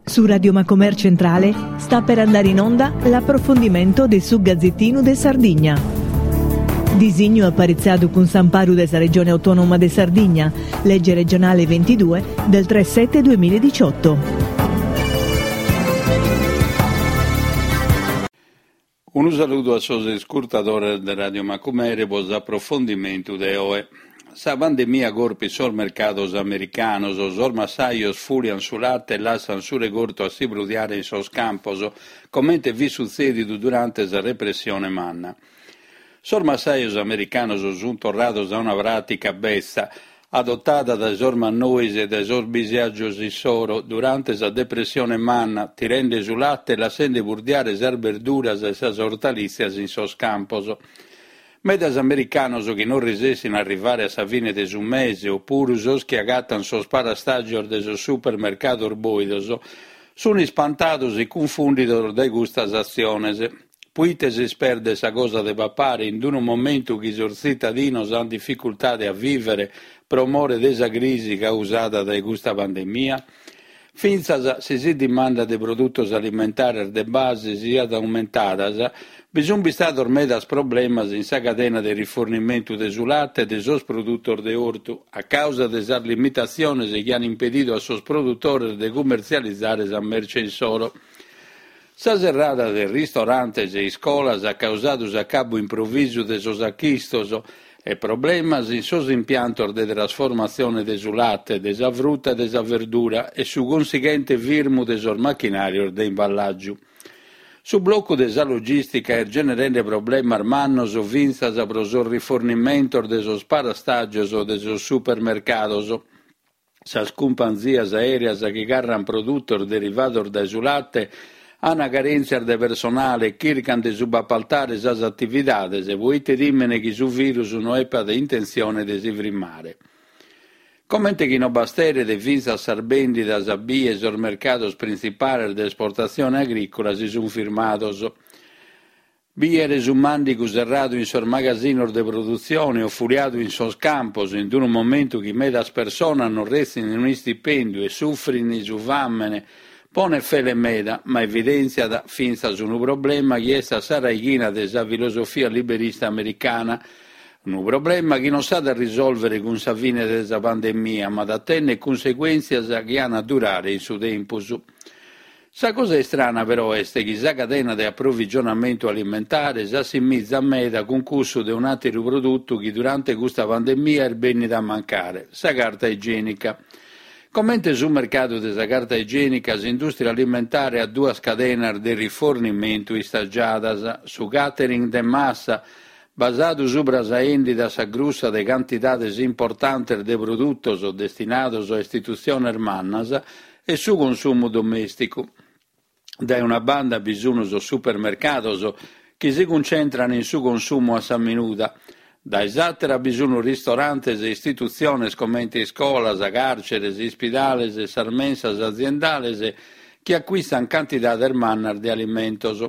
Su Radio Macomer Centrale sta per andare in onda l'approfondimento de su Gazzettinu de Sardigna. Disignu aparitzadu cun s'amparu de sa Regione Autonoma de Sardigna, legge regionale 22 del 3 7 2018. Unu saludu a sos iscurtadores de Radio Macumere pro s'aprofondimentu de oe. Sa pandemia corpit sos mercados americanos, sos massajos fùliant su late e lassant su regortu a si brudiare in sos campos, comente fit sutzèdidu durante sa repressione manna. Sos massajos americanos sunt torrados a una pràtica betza, adotada dae sos mannois e dae sos bisiàgios issoro durante sa Depressione Manna, tirende su late e lassende burdiare sas berduras e sas ortalìtzias in sos campos. Medas americanos chi non resessint a arrivare a sa fine de su mese o puru sos chi agatant sos parastàgios de sos supermercados bòidos, sunt ispantados e cunfùndidos dae custas atziones. Puite s'isperdet sa cosa de papare in unu momentu chi sos tzitadinos ant dificultade a vìvere pro more de sa crisi causada dae custa pandemia? Fintzas si sa dimanda de produtos alimentares de base siat aumentadas, bi sunt bistados medas problemas in sa cadena de rifornimentu de su late e de sos produtos de ortu, a causa de sas limitatziones chi ant impedidu a sos produtores de cummertzializare sa merce insoro. Sa serrada de ristorantes e iscolas at causadu s'acabu improvisu de sos achistos e problemas in sos impiantos de trasformatzione de su late, de sa fruta e de sa verdura e su cunsighente firmu de sos machinàrios de imballàgiu. Su blocu de sa logìstica est generende problemas mannos fintzas pro sos rifornimentos de sos parastàgios de sos supermercados. Sas cumpanzias aèreas chi carrant produtos derivados dae su late ant carèntzias de personale e chircant de subapaltare sas atividades poite timen chi su virus no epat intentzione de si frimmare. Comente chi no basteret fintzas sas bèndidas bie sos mercados printzipales de esportatzione agrìcola si sunt firmados. Bìere su màndigu serradu in sos magasinos de produtzione o fuliadu in sos campos in unu momentu chi medas personas non retzint un'istipèndiu e sufrint su fàmene ponet fele meda, ma evidèntziat fintzas unu problema chi est a sa raighina de sa filosofia liberista americana, unu problema chi non s'at a risòlvere cun sa fine de sa pandemia, ma at a tènnere cunseguèntzias chi an a durare in su tempus. Sa cosa istrana però est chi sa cadena de aprovigionamentu alimentare s'assimizat meda cun cussu de un'àteru produtu chi durante custa pandemia est bènnida a mancare, sa carta igienica. Comente su mercadu de sa carta igienica, s'indùstria alimentare at duas cadenas de rifornimentu istagiadas, su catering de massa, basadu subra sa 'èndida a sa grussa de cantidades importantes de produtos destinados a istitutziones mannas, e su consumu domèsticu. Dae una banda bi sun sos supermercados chi si cuncentran in su consumu a sa minuda, dae s'àtera bi sun ristorantes e istitutziones comente iscolas, càrceres, ispidales e sas mensas aziendales chi acuistan cantidades mannas de alimentos.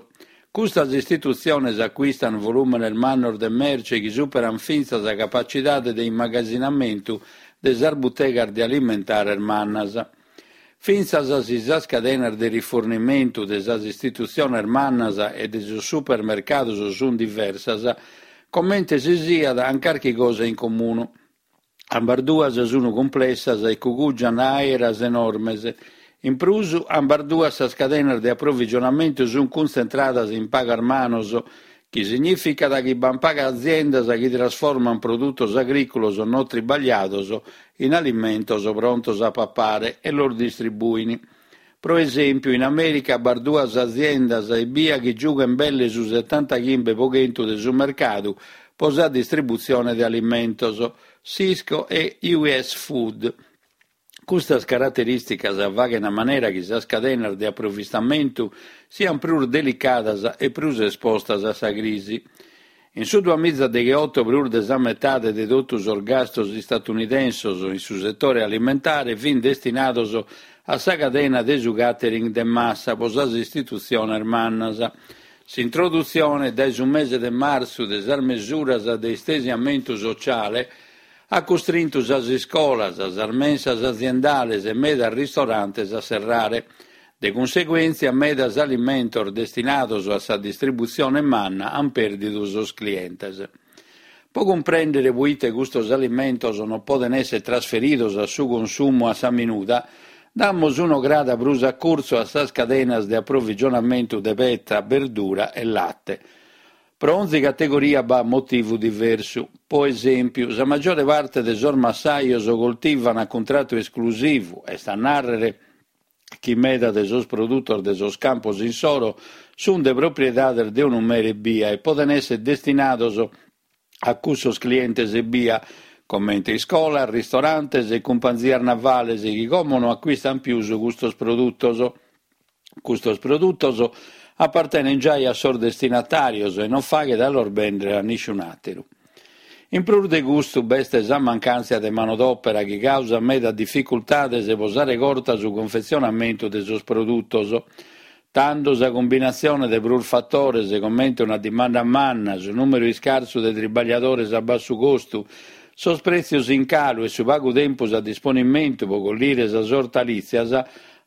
Custas istitutziones acuistan volùmenes mannos de merce chi superan fintzas sa capacidade de immagasinamentu de sas butegas de alimentares mannas. Fintzas si sas cadenas de rifornimentu de sas istitutziones mannas e de sos supermercados sunt diversas, comente si siat an carchi cosa in comunu. Ambas duas sunt cumplessas e cugùgiant àeras enormes. In prus, ambas duas sas cadenas de aprovigionamentu sunt cuntzentradas in pagas manos, chi signìficat chi b'ant pagas aziendas chi trasformant produtos agrìculos no tribagliados in alimentos prontos a papare e los distribuint. Pro esèmpiu, in Amèrica b'at duas aziendas ebbia chi giughent belle su setantachimbe pro chentu de su mercadu pro sa distributzione de alimentos, Sysco e US Food. Custas caraterìsticas faghent a manera chi sas cadenas de aprovistamentu siant prus delicadas e prus espostas a sa crisi. In su duamizadegheoto prus de sa metade de totu sos gastos istatunidensos in su setore alimentare fint destinados a sa cadena de su catering de massa pro sas istitutziones mannas. S'introdutzione dae su mese de martzu de sas mesuras de istesiamentu sociale at custrintu sas iscolas, sas mensas aziendales e medas ristorantes a serrare. De cunseguèntzia medas alimentos destinados a sa distributzione manna ant pèrdidu sos clientes. Pro cumprèndere proite custos alimentos non podent èssere trasferidos a su consumu a sa minuda, damus un'ograda prus a curtzu a sas cadenas de aprovigionamentu de peta, berdura e late. Pro onzi categoria b'at motivu diversu. Pro esèmpiu, sa magiore parte de sos massajos coltivan a cuntratu esclusivu, est a nàrrere chi meda de sos produtos de sos campos insoro sunt de propriedades de unu mere ebbia e podent èssere destinados a cussos clientes ebbia, comente iscolas, ristorantes e cumpanzias navales chi como no acuistant pius custos produtos. Custos produtos apartenent giai a sos destinatàrios e non faghet a los bèndere a nisciun'àteru. In prus de custu b'est sa mancàntzia de manodòpera chi càusat meda dificultades pro sa regorta su cunfetzionamentu de sos produtos. Tando sa cumbinatzione de prus fatores, comente una dimanda manna, su nùmeru iscarsu de tribagliadores a bassu costu, sos prètzios in calu e su pagu tempus a disponimentu pro collire sas ortalìtzias,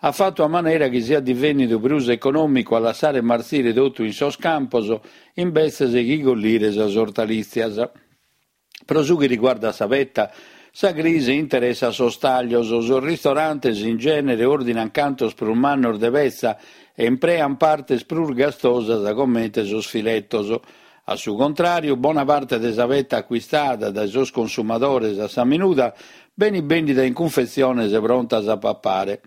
at fatu a manera chi siat divènnidu prus econòmicu a lassare martzire totu in sos campos imbetzes chi collire sas ortalìtzias. Pro su chi riguardat sa peta, sa crisi interessat sos tàllios, sos ristorantes in gènere òrdinant cantos prus mannos de petza e impreant partes prus gastosas comente sos filetos. A su contràriu, bona parte de sa peta acuistada dae sos consumadores a sa minuda benit bèndida in cunfetziones prontas a papare.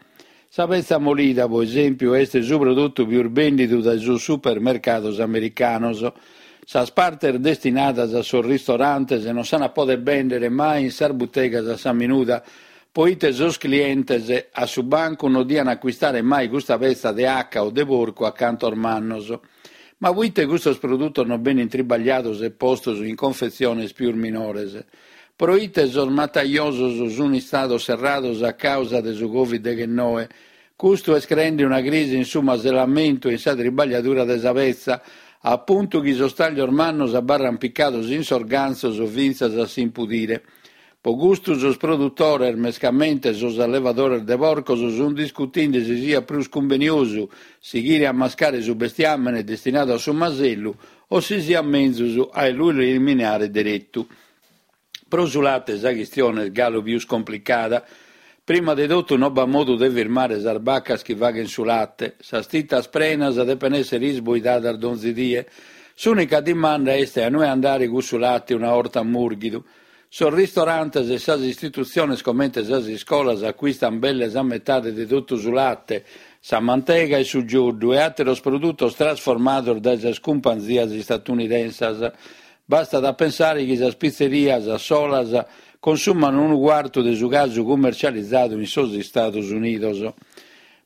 Sa petza molida, pro esèmpiu, est su produtu pius bèndidu dae sos supermercados americanos. Sas partes destinadas a sos ristorantes non s'an a poder bèndere mai in sas butegas a sa minuda, proite sos clientes a su bancu non dian acuistare mai custa petza de 'aca o de porcu a cantos mannos. Ma proite custos produtos non benint tribagliados e postos in confetziones pius minores? Proite sos matajosos sunt istados serrados a càusa de su Covid deghennoe? Custu est creende una crisi in su maselamentu e in sa tribagliadura de sa petza, a puntu chi sos tàglios mannos abarrant picados in sos gantzos fintzas a s'impudire. Pro custu sos produtores, mescamente sos allevadores de porcos, sunt discutinde si siat prus cumbeniosu sighire a mascare su bestiàmene destinadu a su masellu o si siat menzus a lu eliminare deretu. Pro su late sa chistione est galu pius complicada. Prima de totu non b'at modu de firmare sas bacas chi faghent su late. Sas titas prenas depen èssere isboidadas donzi die. S'ùnica dimanda est a inue andare cussu late una 'orta mùrghidu. Sos ristorantes e sas istitutziones comente sas iscolas acuistant belle sa metade de totu su late, sa mantega e su gioddu e àteros produtos trasformados dae sas cumpanzias istatunidensas. Bastat a pensare chi sas pitzerias solas consuman unu cuartu de su casu cummercializadu in sos Istados Unidos.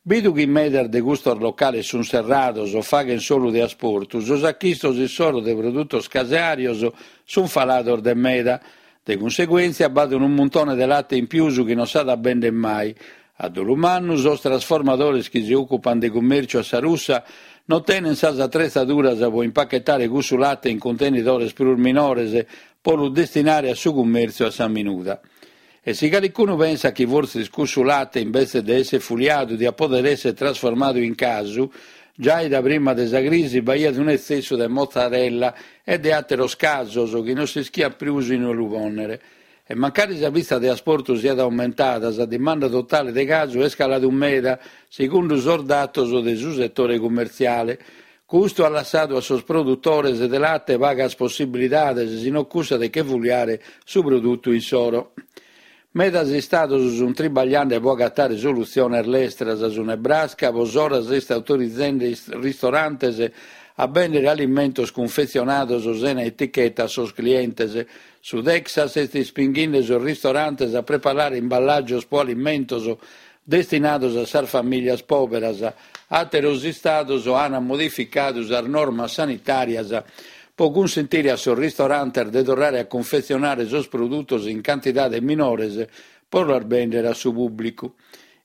Bidu chi medas de custos locales sunt serrados o faghent solu de asportu, sos achistos issoro de produtos caseàrios sunt falados de meda. De cunseguèntzia b'at unu muntone de late in pius chi non s'at a bèndere mai. A dolu mannu, sos trasformadores chi si òcupant de cummèrciu a sa russa non tenent sas atretzaduras pro impachetare cussu late in cuntenidores prus minores pro lu destinare a su cummèrtziu a sa minuda. E si calicunu pensat chi fortzis cussu late imbetzes de èssere fuliadu diat pòdere èssere trasformadu in casu, giai da prima de sa crisi b'aiat un'etzessu de mozzarella e de àteros casos chi non s'ischiat prus inue lu pònnere. E mancari sa pitza de asportu siat aumentada, sa dimanda totale de casu est caladu meda, segundu sos datos de su setore cummertziale. Custu at lassadu a sos produtores de late pagas possibilidades si non cussa de che fuliare su produtu insoro. Medas istados sunt tribagliende pro agatare solutziones lestras. Su Nebraska pro s'ora est autorizende ristorantes a bèndere alimentos cunfetzionados sena eticheta a sos clientes. Su Texas est ispinghende sos ristorantes a preparare imballàgios pro alimentos destinados a sas famìlias pòberas. Àteros istados ant modificadu sas normas sanitàrias pro cunsentire a sos ristorantes de torrare a cunfetzionare sos produtos in cantidades minores pro los bèndere a su pùblicu.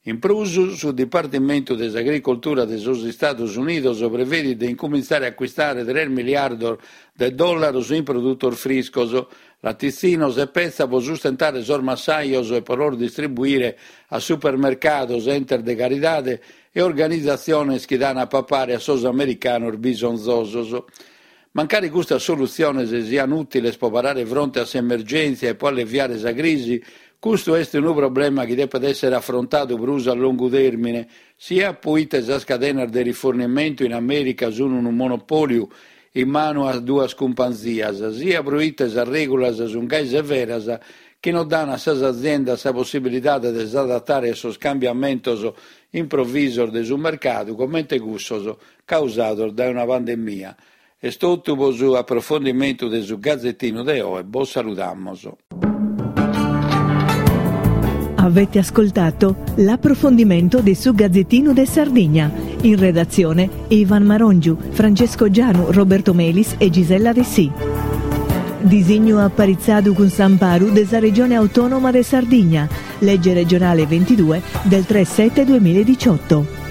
In prus, su Dipartimentu de s'Agricoltura de sos Istados Unidos prevedit de incumintzare a acuistare tres miliardos de dòllaros in produtos friscos, latitzinos e petza pro sustentare sos massajos e pro los distribuire a supermercados, entes de caridade e organizatziones chi dan a papare a sos americanos bisonzosos. Mancari custas solutziones sian ùtiles pro parare fronte a s'emergèntzia e pro alleviare sa crisi, custu est unu problema chi depet èssere afrontadu prus a longu tèrmine, siat proite sas cadenas de rifornimentu in Amèrica sun unu monopòliu in manu a duas cumpanzias, siat proite sas règulas sun gai severas chi non dan a sas aziendas sa possibilidade de s'adatare a sos cambiamentos improvisos de su mercadu comente cussos causados dae una pandemia. Est totu pro su aprofondimentu de su Gazetinu de oe, bos saludamos. Avete ascoltato l'approfondimento de su Gazzettino de Sardigna. In redazione Ivan Marongiu, Francesco Gianu, Roberto Melis e Gisella Dessì. Disignu aparitzadu cun s'amparu de sa Regione Autonoma de Sardigna, legge regionale 22 del 3 7 2018.